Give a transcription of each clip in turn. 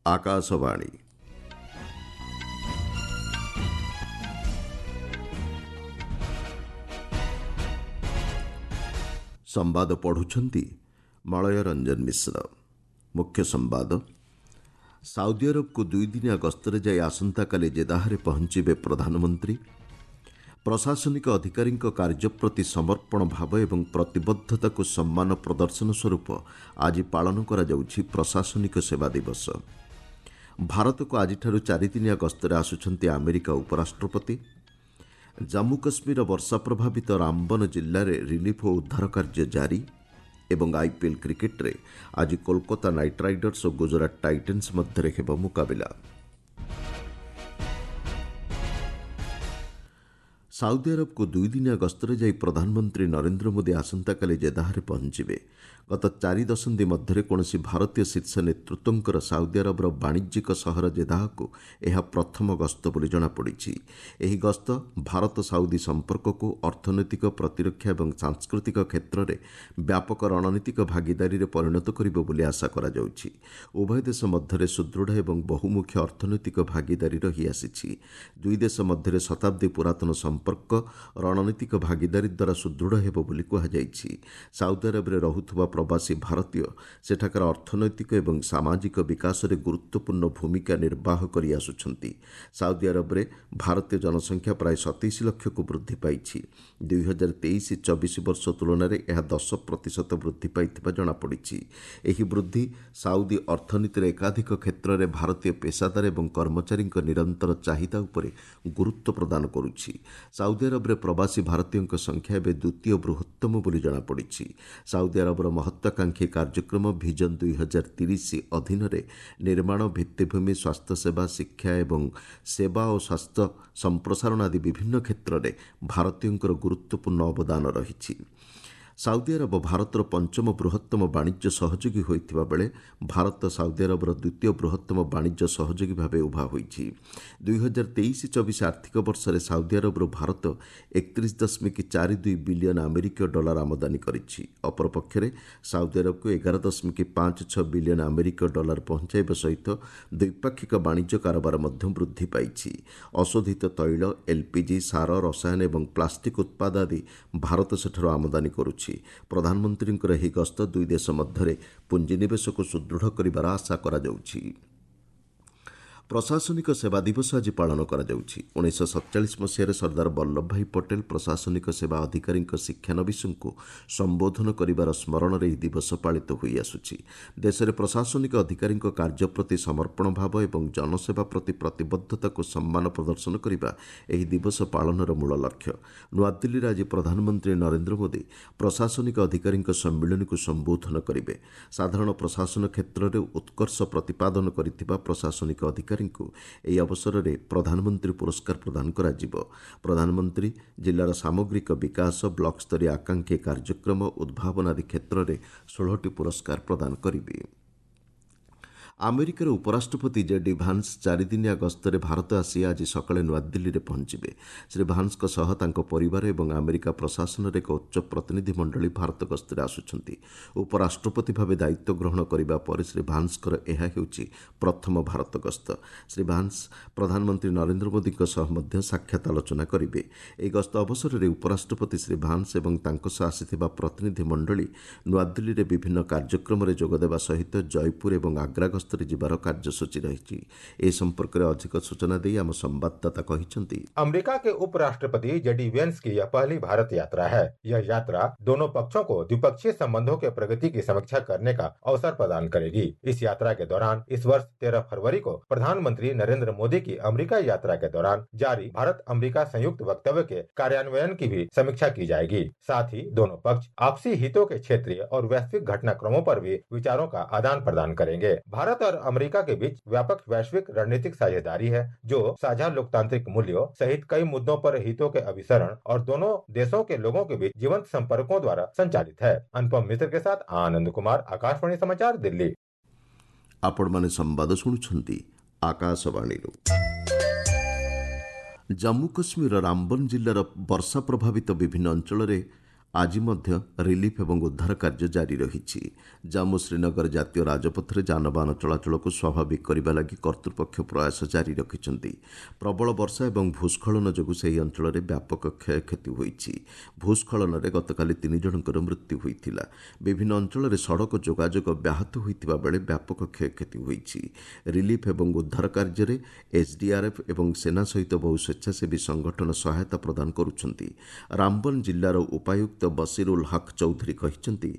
ଆକାଶବାଣୀ। ସମ୍ବାଦ ପଢ଼ୁଛନ୍ତି ମଳୟ ରଞ୍ଜନ ମିଶ୍ର। ମୁଖ୍ୟ ସମ୍ବାଦ। ସାଉଦି ଆରବକୁ ଦୁଇଦିନିଆ ଗସ୍ତରେ ଯାଇ ଆସନ୍ତାକାଲି ଜେଦାହରେ ପହଞ୍ଚିବେ ପ୍ରଧାନମନ୍ତ୍ରୀ। ପ୍ରଶାସନିକ ଅଧିକାରୀଙ୍କ କାର୍ଯ୍ୟ ପ୍ରତି ସମର୍ପଣ ଭାବ ଏବଂ ପ୍ରତିବଦ୍ଧତାକୁ ସମ୍ମାନ ପ୍ରଦର୍ଶନ ସ୍ୱରୂପ ଆଜି ପାଳନ କରାଯାଉଛି ପ୍ରଶାସନିକ ସେବା ଦିବସ। ଭାରତକୁ ଆଜିଠାରୁ ଚାରିଦିନିଆ ଗସ୍ତରେ ଆସୁଛନ୍ତି ଆମେରିକା ଉପରାଷ୍ଟ୍ରପତି। ଜାମ୍ମୁ କାଶ୍ମୀରର ବର୍ଷା ପ୍ରଭାବିତ ରାମବନ ଜିଲ୍ଲାରେ ରିଲିଫ୍ ଓ ଉଦ୍ଧାର କାର୍ଯ୍ୟ ଜାରି। ଏବଂ ଆଇପିଏଲ୍ କ୍ରିକେଟ୍ରେ ଆଜି କୋଲକାତା ନାଇଟ୍ ରାଇଡର୍ସ ଓ ଗୁଜରାଟ ଟାଇଟନ୍ସ ମଧ୍ୟରେ ହେବ ମୁକାବିଲା। ସାଉଦି ଆରବକୁ ଦୁଇଦିନିଆ ଗସ୍ତରେ ଯାଇ ପ୍ରଧାନମନ୍ତ୍ରୀ ନରେନ୍ଦ୍ର ମୋଦି ଆସନ୍ତାକାଲି ଜେଦାହରେ ପହଞ୍ଚିବେ। ଗତ 4 ଦଶନ୍ଧି ମଧ୍ୟରେ କୌଣସି ଭାରତୀୟ ଶୀର୍ଷ ନେତୃତ୍ୱଙ୍କର ସାଉଦି ଆରବର ବାଣିଜ୍ୟିକ ସହର ଜେଦାହକୁ ଏହା ପ୍ରଥମ ଗସ୍ତ ବୋଲି ଜଣାପଡ଼ିଛି। ଏହି ଗସ୍ତ ଭାରତ ସାଉଦି ସମ୍ପର୍କକୁ ଅର୍ଥନୈତିକ, ପ୍ରତିରକ୍ଷା ଏବଂ ସାଂସ୍କୃତିକ କ୍ଷେତ୍ରରେ ବ୍ୟାପକ ରଣନୀତିକ ଭାଗିଦାରୀରେ ପରିଣତ କରିବ ବୋଲି ଆଶା କରାଯାଉଛି। ଉଭୟ ଦେଶ ମଧ୍ୟରେ ସୁଦୃଢ଼ ଏବଂ ବହୁମୁଖୀ ଅର୍ଥନୈତିକ ଭାଗିଦାରୀ ରହିଆସିଛି। ଦୁଇ ଦେଶ ମଧ୍ୟରେ ଶତାବ୍ଦୀ ପୁରାତନ ସମ୍ପର୍କ ରଣନୀତିକ ଭାଗିଦାରୀ ଦ୍ୱାରା ସୁଦୃଢ଼ ହେବ ବୋଲି କୁହାଯାଇଛି। ସାଉଦି ଆରବରେ ରହୁଥିବା ପ୍ରବାସୀ ଭାରତୀୟ ସେଠାକାର ଅର୍ଥନୈତିକ ଏବଂ ସାମାଜିକ ବିକାଶରେ ଗୁରୁତ୍ୱପୂର୍ଣ୍ଣ ଭୂମିକା ନିର୍ବାହ କରି ଆସୁଛନ୍ତି। ସାଉଦି ଆରବରେ ଭାରତୀୟ ଜନସଂଖ୍ୟା ପ୍ରାୟ 27 ଲକ୍ଷକୁ ବୃଦ୍ଧି ପାଇଛି। 2023-24 ବର୍ଷ ତୁଳନାରେ ଏହା 10% ବୃଦ୍ଧି ପାଇଥିବା ଜଣାପଡ଼ିଛି। ଏହି ବୃଦ୍ଧି ସାଉଦି ଅର୍ଥନୀତିର ଏକାଧିକ କ୍ଷେତ୍ରରେ ଭାରତୀୟ ପେସାଦାର ଏବଂ କର୍ମଚାରୀଙ୍କ ନିରନ୍ତର ଚାହିଦା ଉପରେ ଗୁରୁତ୍ୱ ପ୍ରଦାନ କରୁଛି। ସାଉଦି ଆରବରେ ପ୍ରବାସୀ ଭାରତୀୟଙ୍କ ସଂଖ୍ୟା ଏବେ ଦ୍ୱିତୀୟ ବୃହତ୍ତମ ବୋଲି ଜଣାପଡ଼ିଛି। ସାଉଦି ଆରବର ମହତ୍ୱାକାଂକ୍ଷୀ କାର୍ଯ୍ୟକ୍ରମ ଭିଜନ 2030 ଅଧୀନରେ ନିର୍ମାଣ, ଭିତ୍ତିଭୂମି, ସ୍ୱାସ୍ଥ୍ୟସେବା, ଶିକ୍ଷା ଏବଂ ସେବା ଓ ସ୍ୱାସ୍ଥ୍ୟ ସମ୍ପ୍ରସାରଣ ଆଦି ବିଭିନ୍ନ କ୍ଷେତ୍ରରେ ଭାରତୀୟଙ୍କର ଗୁରୁତ୍ୱପୂର୍ଣ୍ଣ ଅବଦାନ ରହିଛି। ସାଉଦି ଆରବ ଭାରତର ପଞ୍ଚମ ବୃହତ୍ତମ ବାଣିଜ୍ୟ ସହଯୋଗୀ ହୋଇଥିବା ବେଳେ ଭାରତ ସାଉଦି ଆରବର ଦ୍ୱିତୀୟ ବୃହତ୍ତମ ବାଣିଜ୍ୟ ସହଯୋଗୀ ଭାବେ ଉଭା ହୋଇଛି। 2023-24 ଆର୍ଥିକ ବର୍ଷରେ ସାଉଦି ଆରବରୁ ଭାରତ 31.42 ବିଲିୟନ ଆମେରିକୀୟ ଡଲାର ଆମଦାନୀ କରିଛି। ଅପରପକ୍ଷରେ ସାଉଦି ଆରବକୁ 11.56 ବିଲିୟନ ଆମେରିକୀୟ ଡଲାର ପହଞ୍ଚାଇବା ସହିତ ଦ୍ୱିପାକ୍ଷିକ ବାଣିଜ୍ୟ କାରବାର ମଧ୍ୟ ବୃଦ୍ଧି ପାଇଛି। ଅଶୋଧିତ ତୈଳ, ଏଲ୍ପିଜି, ସାର, ରସାୟନ ଏବଂ ପ୍ଲାଷ୍ଟିକ୍ ଉତ୍ପାଦ ଆଦି ଭାରତ ସେଠାରୁ ଆମଦାନୀ କରୁଛି। ପ୍ରଧାନମନ୍ତ୍ରୀଙ୍କର ଏହି ଗସ୍ତ ଦୁଇ ଦେଶ ମଧ୍ୟରେ ପୁଞ୍ଜିନିବେଶକୁ ସୁଦୃଢ଼ କରିବାର ଆଶା କରାଯାଉଛି। ପ୍ରଶାସନିକ ସେବା ଦିବସ ଆଜି ପାଳନ କରାଯାଉଛି। 1947 ମସିହାରେ ସର୍ଦ୍ଦାର ବଲ୍ଲଭ ଭାଇ ପଟେଲ ପ୍ରଶାସନିକ ସେବା ଅଧିକାରୀଙ୍କ ଶିକ୍ଷାନବିଶଙ୍କୁ ସମ୍ବୋଧନ କରିବାର ସ୍ମରଣରେ ଏହି ଦିବସ ପାଳିତ ହୋଇଆସୁଛି। ଦେଶରେ ପ୍ରଶାସନିକ ଅଧିକାରୀଙ୍କ କାର୍ଯ୍ୟ ପ୍ରତି ସମର୍ପଣ ଭାବ ଏବଂ ଜନସେବା ପ୍ରତି ପ୍ରତିବଦ୍ଧତାକୁ ସମ୍ମାନ ପ୍ରଦର୍ଶନ କରିବା ଏହି ଦିବସ ପାଳନର ମୂଳ ଲକ୍ଷ୍ୟ। ନୂଆଦିଲ୍ଲୀରେ ଆଜି ପ୍ରଧାନମନ୍ତ୍ରୀ ନରେନ୍ଦ୍ର ମୋଦି ପ୍ରଶାସନିକ ଅଧିକାରୀଙ୍କ ସମ୍ମିଳନୀକୁ ସମ୍ବୋଧନ କରିବେ। ସାଧାରଣ ପ୍ରଶାସନ କ୍ଷେତ୍ରରେ ଉତ୍କର୍ଷ ପ୍ରତିପାଦନ କରିଥିବା ପ୍ରଶାସନିକ ଅଧିକାରୀ ଏହି ଅବସରରେ ପ୍ରଧାନମନ୍ତ୍ରୀ ପୁରସ୍କାର ପ୍ରଦାନ କରାଯିବ। ପ୍ରଧାନମନ୍ତ୍ରୀ ଜିଲ୍ଲାର ସାମଗ୍ରିକ ବିକାଶ, ବ୍ଲକ ସ୍ତରୀୟ ଆକାଂକ୍ଷୀ କାର୍ଯ୍ୟକ୍ରମ, ଉଦ୍ଭାବନ ଆଦି କ୍ଷେତ୍ରରେ 16ଟି ପୁରସ୍କାର ପ୍ରଦାନ କରିବେ। ଆମେରିକାର ଉପରାଷ୍ଟ୍ରପତି ଜେ ଡି ଭାନ୍ସ ଚାରିଦିନିଆ ଗସ୍ତରେ ଭାରତ ଆସି ଆଜି ସକାଳେ ନୂଆଦିଲ୍ଲୀରେ ପହଞ୍ଚିବେ। ଶ୍ରୀ ଭାନ୍ସଙ୍କ ସହ ତାଙ୍କ ପରିବାର ଏବଂ ଆମେରିକା ପ୍ରଶାସନର ଏକ ଉଚ୍ଚ ପ୍ରତିନିଧି ମଣ୍ଡଳୀ ଭାରତ ଗସ୍ତରେ ଆସୁଛନ୍ତି। ଉପରାଷ୍ଟ୍ରପତି ଭାବେ ଦାୟିତ୍ୱ ଗ୍ରହଣ କରିବା ପରେ ଶ୍ରୀ ଭାନ୍ସଙ୍କର ଏହା ହେଉଛି ପ୍ରଥମ ଭାରତ ଗସ୍ତ। ଶ୍ରୀ ଭାନ୍ସ ପ୍ରଧାନମନ୍ତ୍ରୀ ନରେନ୍ଦ୍ର ମୋଦିଙ୍କ ସହ ମଧ୍ୟ ସାକ୍ଷାତ ଆଲୋଚନା କରିବେ। ଏହି ଗସ୍ତ ଅବସରରେ ଉପରାଷ୍ଟ୍ରପତି ଶ୍ରୀ ଭାନ୍ସ ଏବଂ ତାଙ୍କ ସହ ଆସିଥିବା ପ୍ରତିନିଧି ମଣ୍ଡଳୀ ନୂଆଦିଲ୍ଲୀରେ ବିଭିନ୍ନ କାର୍ଯ୍ୟକ୍ରମରେ ଯୋଗଦେବା ସହିତ ଜୟପୁର ଏବଂ ଆଗ୍ରା ଗସ୍ତରେ ଯିବାର କାର୍ଯ୍ୟସୂଚୀ ରହିଛି। ଏ ସମ୍ପର୍କରେ ଅଧିକ ସୂଚନା ଦେଇ ଆମ ସମ୍ବାଦଦାତା କହିଛନ୍ତି, अमेरिका के उपराष्ट्रपति जेडी वेंस की यह पहली भारत यात्रा है। यह यात्रा दोनों पक्षों को द्विपक्षीय संबंधों के प्रगति की समीक्षा करने का अवसर प्रदान करेगी। इस यात्रा के दौरान इस वर्ष 13 फरवरी को प्रधानमंत्री नरेंद्र मोदी की अमेरिका यात्रा के दौरान जारी भारत अमेरिका संयुक्त वक्तव्य के कार्यान्वयन की भी समीक्षा की जाएगी। साथ ही दोनों पक्ष आपसी हितों के क्षेत्रीय और वैश्विक घटनाक्रमों पर भी विचारों का आदान प्रदान करेंगे। भारत और अमेरिका के बीच व्यापक वैश्विक रणनीतिक साझेदारी है, जो साझा लोकतांत्रिक मूल्यों सहित कई मुद्दों पर हितों के अभिसरण और दोनों देशों के लोगों के बीच जीवंत संपर्कों द्वारा संचालित है। अनुपम मिश्र के साथ आनंद कुमार, आकाशवाणी समाचार, दिल्ली। ଆପଣମାନେ ସମ୍ବାଦ ଶୁଣୁଛନ୍ତି ଆକାଶବାଣୀରୁ। ଜାମ୍ମୁ କାଶ୍ମୀରର ରାମବନ ଜିଲ୍ଲାର ବର୍ଷା ପ୍ରଭାବିତ ବିଭିନ୍ନ ଅଞ୍ଚଳରେ ଆଜି ମଧ୍ୟ ରିଲିଫ୍ ଏବଂ ଉଦ୍ଧାର କାର୍ଯ୍ୟ ଜାରି ରହିଛି। ଜାମ୍ମୁ ଶ୍ରୀନଗର ଜାତୀୟ ରାଜପଥରେ ଯାନବାହନ ଚଳାଚଳକୁ ସ୍ୱାଭାବିକ କରିବା ଲାଗି କର୍ତ୍ତୃପକ୍ଷ ପ୍ରୟାସ ଜାରି ରଖିଛନ୍ତି। ପ୍ରବଳ ବର୍ଷା ଏବଂ ଭୂସ୍ଖଳନ ଯୋଗୁଁ ସେହି ଅଞ୍ଚଳରେ ବ୍ୟାପକ କ୍ଷୟକ୍ଷତି ହୋଇଛି। ଭୂସ୍ଖଳନରେ ଗତକାଲି 3 ଜଣଙ୍କର ମୃତ୍ୟୁ ହୋଇଥିଲା। ବିଭିନ୍ନ ଅଞ୍ଚଳରେ ସଡ଼କ ଯୋଗାଯୋଗ ବ୍ୟାହତ ହୋଇଥିବା ବେଳେ ବ୍ୟାପକ କ୍ଷୟକ୍ଷତି ହୋଇଛି। ରିଲିଫ୍ ଏବଂ ଉଦ୍ଧାର କାର୍ଯ୍ୟରେ ଏସ୍ଡିଆର୍ଏଫ୍ ଏବଂ ସେନା ସହିତ ବହୁ ସ୍ୱେଚ୍ଛାସେବୀ ସଂଗଠନ ସହାୟତା ପ୍ରଦାନ କରୁଛନ୍ତି। ରାମବନ ଜିଲ୍ଲାର ଉପାୟୁକ୍ତ ବସିର ଉଲ୍ ହକ୍ ଚୌଧୁରୀ କହିଛନ୍ତି,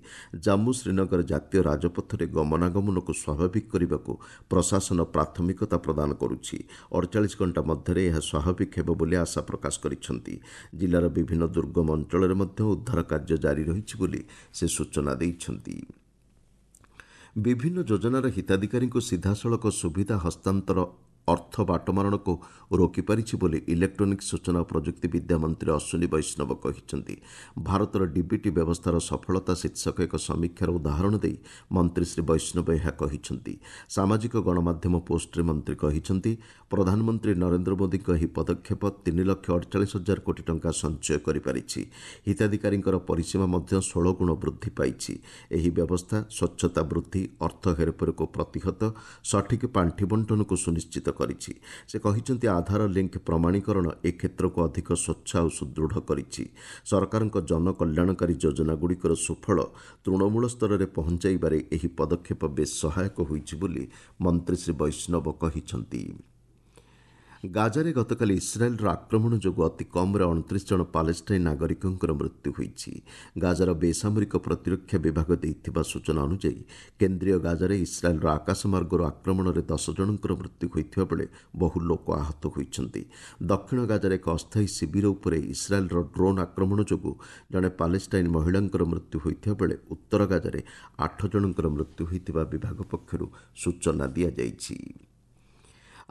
ଜାମ୍ମୁ ଶ୍ରୀନଗର ଜାତୀୟ ରାଜପଥରେ ଗମନାଗମନକୁ ସ୍ୱାଭାବିକ କରିବାକୁ ପ୍ରଶାସନ ପ୍ରାଥମିକତା ପ୍ରଦାନ କରୁଛି। 48 ଘଣ୍ଟା ମଧ୍ୟରେ ଏହା ସ୍ୱାଭାବିକ ହେବ ବୋଲି ଆଶା ପ୍ରକାଶ କରିଛନ୍ତି। ଜିଲ୍ଲାର ବିଭିନ୍ନ ଦୁର୍ଗମ ଅଞ୍ଚଳରେ ମଧ୍ୟ ଉଦ୍ଧାର କାର୍ଯ୍ୟ ଜାରି ରହିଛି ବୋଲି ସେ ସୂଚନା ଦେଇଛନ୍ତି। ବିଭିନ୍ନ ଯୋଜନାର ହିତାଧିକାରୀଙ୍କୁ ସିଧାସଳଖ ସୁବିଧା ହସ୍ତାନ୍ତର ଅର୍ଥ ବାଟମାରଣକୁ ରୋକିପାରିଛି ବୋଲି ଇଲେକ୍ଟ୍ରୋନିକ୍ସ ସୂଚନା ଓ ପ୍ରଯୁକ୍ତି ବିଦ୍ୟା ମନ୍ତ୍ରୀ ଅଶ୍ୱିନୀ ବୈଷ୍ଣବ କହିଛନ୍ତି। ଭାରତର ଡିବିଟି ବ୍ୟବସ୍ଥାର ସଫଳତା ଶୀର୍ଷକ ଏକ ସମୀକ୍ଷାର ଉଦାହରଣ ଦେଇ ମନ୍ତ୍ରୀ ଶ୍ରୀ ବୈଷ୍ଣବ ଏହା କହିଛନ୍ତି। ସାମାଜିକ ଗଣମାଧ୍ୟମ ପୋଷ୍ଟରେ ମନ୍ତ୍ରୀ କହିଛନ୍ତି, ପ୍ରଧାନମନ୍ତ୍ରୀ ନରେନ୍ଦ୍ର ମୋଦିଙ୍କ ଏହି ପଦକ୍ଷେପ 3,48,000 କୋଟି ଟଙ୍କା ସଞ୍ଚୟ କରିପାରିଛି। ହିତାଧିକାରୀଙ୍କର ପରିସୀମା ମଧ୍ୟ 16 ଗୁଣ ବୃଦ୍ଧି ପାଇଛି। ଏହି ବ୍ୟବସ୍ଥା ସ୍ୱଚ୍ଛତା ବୃଦ୍ଧି, ଅର୍ଥ ହେରଫେରକୁ ପ୍ରତିହତ, ସଠିକ୍ ପାଣ୍ଠି ବଣ୍ଟନକୁ ସୁନିଶ୍ଚିତ କରିଛି। ସେ କହିଛନ୍ତି, ଆଧାର ଲିଙ୍କ ପ୍ରମାଣୀକରଣ ଏ କ୍ଷେତ୍ରକୁ ଅଧିକ ସ୍ୱଚ୍ଛ ଆଉ ସୁଦୃଢ଼ କରିଛି। ସରକାରଙ୍କ ଜନକଲ୍ୟାଣକାରୀ ଯୋଜନାଗୁଡ଼ିକର ସୁଫଳ ତୃଣମୂଳ ସ୍ତରରେ ପହଞ୍ଚାଇବାରେ ଏହି ପଦକ୍ଷେପ ବେଶ୍ ସହାୟକ ହୋଇଛି ବୋଲି ମନ୍ତ୍ରୀ ଶ୍ରୀ ବୈଷ୍ଣବ କହିଛନ୍ତି। ଗାଜାରେ ଗତକାଲି ଇସ୍ରାଏଲ୍ର ଆକ୍ରମଣ ଯୋଗୁଁ ଅତି କମ୍ରେ 29 ଜଣ ପାଲେଷ୍ଟାଇନ୍ ନାଗରିକଙ୍କର ମୃତ୍ୟୁ ହୋଇଛି। ଗାଜାର ବେସାମରିକ ପ୍ରତିରକ୍ଷା ବିଭାଗ ଦେଇଥିବା ସୂଚନା ଅନୁଯାୟୀ, କେନ୍ଦ୍ରୀୟ ଗାଜାରେ ଇସ୍ରାଏଲ୍ର ଆକାଶମାର୍ଗରୁ ଆକ୍ରମଣରେ 10 ଜଣଙ୍କର ମୃତ୍ୟୁ ହୋଇଥିବା ବେଳେ ବହୁ ଲୋକ ଆହତ ହୋଇଛନ୍ତି। ଦକ୍ଷିଣ ଗାଜାରେ ଏକ ଅସ୍ଥାୟୀ ଶିବିର ଉପରେ ଇସ୍ରାଏଲ୍ର ଡ୍ରୋନ୍ ଆକ୍ରମଣ ଯୋଗୁଁ ଜଣେ ପାଲେଷ୍ଟାଇନ୍ ମହିଳାଙ୍କର ମୃତ୍ୟୁ ହୋଇଥିବା ବେଳେ ଉତ୍ତର ଗାଜାରେ 8 ଜଣଙ୍କର ମୃତ୍ୟୁ ହୋଇଥିବା ବିଭାଗ ପକ୍ଷରୁ ସୂଚନା ଦିଆଯାଇଛି।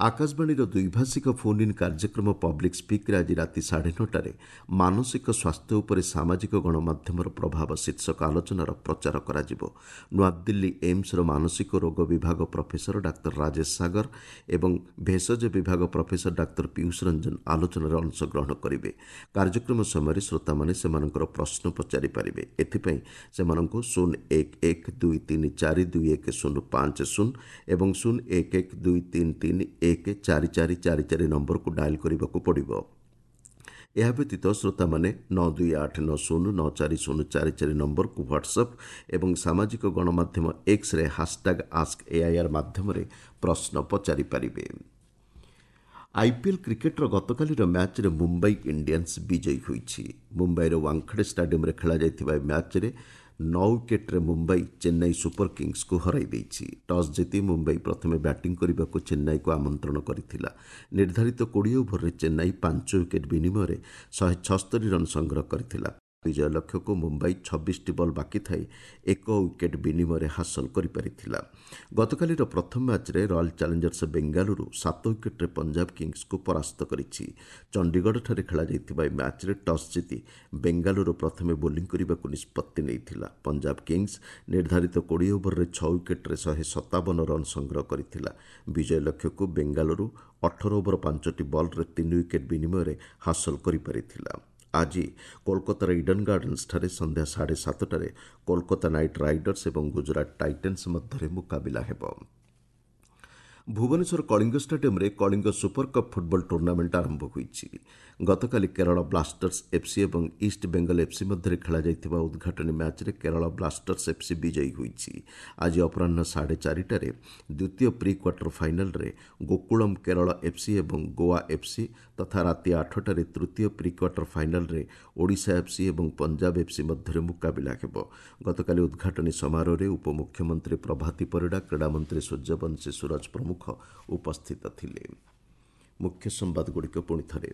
ଆକାଶବାଣୀର ଦ୍ୱିଭାଷିକ ଫୋନ୍ ଇନ୍ କାର୍ଯ୍ୟକ୍ରମ ପବ୍ଲିକ୍ ସ୍ପିକ୍ରେ ଆଜି ରାତି 9:30ରେ ମାନସିକ ସ୍ୱାସ୍ଥ୍ୟ ଉପରେ ସାମାଜିକ ଗଣମାଧ୍ୟମର ପ୍ରଭାବ ଶୀର୍ଷକ ଆଲୋଚନାର ପ୍ରଚାର କରାଯିବ। ନୂଆଦିଲ୍ଲୀ ଏମ୍ସର ମାନସିକ ରୋଗ ବିଭାଗ ପ୍ରଫେସର ଡାକ୍ତର ରାଜେଶ ସାଗର ଏବଂ ଭେଷଜ ବିଭାଗ ପ୍ରଫେସର ଡାକ୍ତର ପୀୟୁଷ ରଞ୍ଜନ ଆଲୋଚନାରେ ଅଂଶଗ୍ରହଣ କରିବେ। କାର୍ଯ୍ୟକ୍ରମ ସମୟରେ ଶ୍ରୋତାମାନେ ସେମାନଙ୍କର ପ୍ରଶ୍ନ ପଚାରିପାରିବେ। ଏଥିପାଇଁ ସେମାନଙ୍କୁ 0 1 1 2 3 4 2 1 0 5 0 ଏବଂ 0 1 1 2 3 3 1 4 4 4 4 ନମ୍ବରକୁ ଡାଏଲ୍ କରିବାକୁ ପଡ଼ିବ। ଏହା ବ୍ୟତୀତ ଶ୍ରୋତାମାନେ 9 2 8 9 0 9 4 0 4 4 ନମ୍ବରକୁ ହ୍ୱାଟ୍ସଆପ୍ ଏବଂ ସାମାଜିକ ଗଣମାଧ୍ୟମ ଏକ୍ସରେ ହାସଟ୍ୟାଗ୍ ଆସ୍କ ଏଆଇଆର୍ ମାଧ୍ୟମରେ ପ୍ରଶ୍ନ ପଚାରିପାରିବେ। ଆଇପିଏଲ୍ କ୍ରିକେଟ୍ର ଗତକାଲିର ମ୍ୟାଚ୍ରେ ମୁମ୍ବାଇ ଇଣ୍ଡିଆନ୍ସ ବିଜୟୀ ହୋଇଛି। ମୁମ୍ବାଇର ୱାଙ୍ଗଖେଡେ ଷ୍ଟାଡିୟମ୍ରେ ଖେଳାଯାଇଥିବା ଏହି ମ୍ୟାଚ୍ରେ 9 ୱିକେଟ୍ରେ ମୁମ୍ବାଇ ଚେନ୍ନାଇ ସୁପର କିଙ୍ଗସ୍କୁ ହରାଇ ଦେଇଛି। ଟସ୍ ଜିତି ମୁମ୍ବାଇ ପ୍ରଥମେ ବ୍ୟାଟିଂ କରିବାକୁ ଚେନ୍ନାଇକୁ ଆମନ୍ତ୍ରଣ କରିଥିଲା। ନିର୍ଦ୍ଧାରିତ 20 ଓଭରରେ ଚେନ୍ନାଇ 5 ୱିକେଟ୍ ବିନିମୟରେ 176 ରନ୍ ସଂଗ୍ରହ କରିଥିଲା। ବିଜୟ ଲକ୍ଷ୍ୟକୁ ମୁମ୍ବାଇ 26ଟି ବଲ୍ ବାକି ଥାଇ 1 ୱିକେଟ୍ ବିନିମୟରେ ହାସଲ କରିପାରିଥିଲା। ଗତକାଲିର ପ୍ରଥମ ମ୍ୟାଚ୍ରେ ରୟାଲ୍ ଚ୍ୟାଲେଞ୍ଜର୍ସ ବେଙ୍ଗାଲୁରୁ 7 ୱିକେଟ୍ରେ ପଞ୍ଜାବ କିଙ୍ଗସ୍କୁ ପରାସ୍ତ କରିଛି। ଚଣ୍ଡିଗଡ଼ଠାରେ ଖେଳାଯାଇଥିବା ଏହି ମ୍ୟାଚ୍ରେ ଟସ୍ ଜିତି ବେଙ୍ଗାଲୁରୁ ପ୍ରଥମେ ବୋଲିଂ କରିବାକୁ ନିଷ୍ପତ୍ତି ନେଇଥିଲା। ପଞ୍ଜାବ କିଙ୍ଗସ୍ ନିର୍ଦ୍ଧାରିତ 20 ଓଭରରେ 6 ୱିକେଟ୍ରେ 157 ରନ୍ ସଂଗ୍ରହ କରିଥିଲା। ବିଜୟ ଲକ୍ଷ୍ୟକୁ ବେଙ୍ଗାଲୁରୁ 18 ଓଭର 5ଟି ବଲ୍ରେ 3 ୱିକେଟ୍ ବିନିମୟରେ ହାସଲ କରିପାରିଥିଲା। ଆଜି କୋଲକାତାର ଇଡନ୍ ଗାର୍ଡେନ୍ସଠାରେ ସନ୍ଧ୍ୟା 7:30ରେ କୋଲକାତା ନାଇଟ୍ ରାଇଡର୍ସ ଏବଂ ଗୁଜରାଟ ଟାଇଟନ୍ସ ମଧ୍ୟରେ ମୁକାବିଲା ହେବ। ଭୁବନେଶ୍ୱର କଳିଙ୍ଗ ଷ୍ଟାଡିୟମ୍ରେ Kalinga super cup football tournament ଆରମ୍ଭ ହୋଇଛି। ଗତକାଲି କେରଳ ବ୍ଲାଷ୍ଟର୍ସ ଏଫ୍ସି ଏବଂ ଇଷ୍ଟ ବେଙ୍ଗଲ ଏଫ୍ସି ମଧ୍ୟରେ ଖେଳାଯାଇଥିବା ଉଦ୍ଘାଟନୀ ମ୍ୟାଚ୍ରେ କେରଳ ବ୍ଲାଷ୍ଟର୍ସ ଏଫ୍ସି ବିଜୟୀ ହୋଇଛି। ଆଜି ଅପରାହ୍ନ 4:30ରେ ଦ୍ୱିତୀୟ ପ୍ରି କ୍ୱାର୍ଟର ଫାଇନାଲରେ ଗୋକୁଳମ୍ କେରଳ ଏଫ୍ସି ଏବଂ ଗୋଆ ଏଫ୍ସି ତଥା ରାତି 8ଟାରେ ତୃତୀୟ ପ୍ରି କ୍ୱାର୍ଟର ଫାଇନାଲରେ ଓଡ଼ିଶା ଏଫ୍ସି ଏବଂ ପଞ୍ଜାବ ଏଫ୍ସି ମଧ୍ୟରେ ମୁକାବିଲା ହେବ। ଗତକାଲି ଉଦ୍ଘାଟନୀ ସମାରୋହରେ ଉପମୁଖ୍ୟମନ୍ତ୍ରୀ ପ୍ରଭାତୀ ପରିଡ଼ା, କ୍ରୀଡ଼ାମନ୍ତ୍ରୀ ସୂର୍ଯ୍ୟବଂଶୀ ସୁରଜ ପ୍ରମୁଖ ଉପସ୍ଥିତ ଥିଲେ। ମୁଖ୍ୟ ସମ୍ବାଦଗୁଡ଼ିକ ପୁଣି ଥରେ।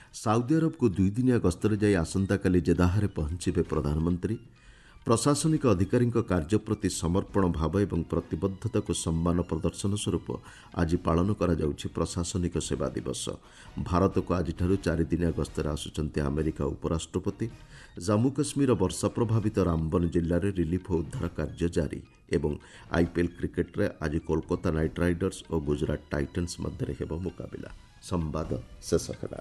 ସାଉଦି ଆରବକୁ 2 ଦିନିଆ ଗସ୍ତରେ ଯାଇ ଆସନ୍ତାକାଲି ଜେଦାହାରେ ପହଞ୍ଚିବେ ପ୍ରଧାନମନ୍ତ୍ରୀ। ପ୍ରଶାସନିକ ଅଧିକାରୀଙ୍କ କାର୍ଯ୍ୟ ପ୍ରତି ସମର୍ପଣ ଭାବ ଏବଂ ପ୍ରତିବଦ୍ଧତାକୁ ସମ୍ମାନ ପ୍ରଦର୍ଶନ ସ୍ୱରୂପ ଆଜି ପାଳନ କରାଯାଉଛି ପ୍ରଶାସନିକ ସେବା ଦିବସ। ଭାରତକୁ ଆଜିଠାରୁ 4 ଦିନିଆ ଗସ୍ତରେ ଆସୁଛନ୍ତି ଆମେରିକା ଉପରାଷ୍ଟ୍ରପତି। ଜାମ୍ମୁ କାଶ୍ମୀର ବର୍ଷା ପ୍ରଭାବିତ ରାମବନ ଜିଲ୍ଲାରେ ରିଲିଫ୍ ଓ ଉଦ୍ଧାର କାର୍ଯ୍ୟ ଜାରି। ଏବଂ ଆଇପିଏଲ୍ କ୍ରିକେଟ୍ରେ ଆଜି କୋଲକାତା ନାଇଟ୍ ରାଇଡର୍ସ ଓ ଗୁଜରାଟ ଟାଇଟନ୍ସ ମଧ୍ୟରେ ହେବ ମୁକାବିଲା। ସମ୍ବାଦ ଶେଷ ହେଲା।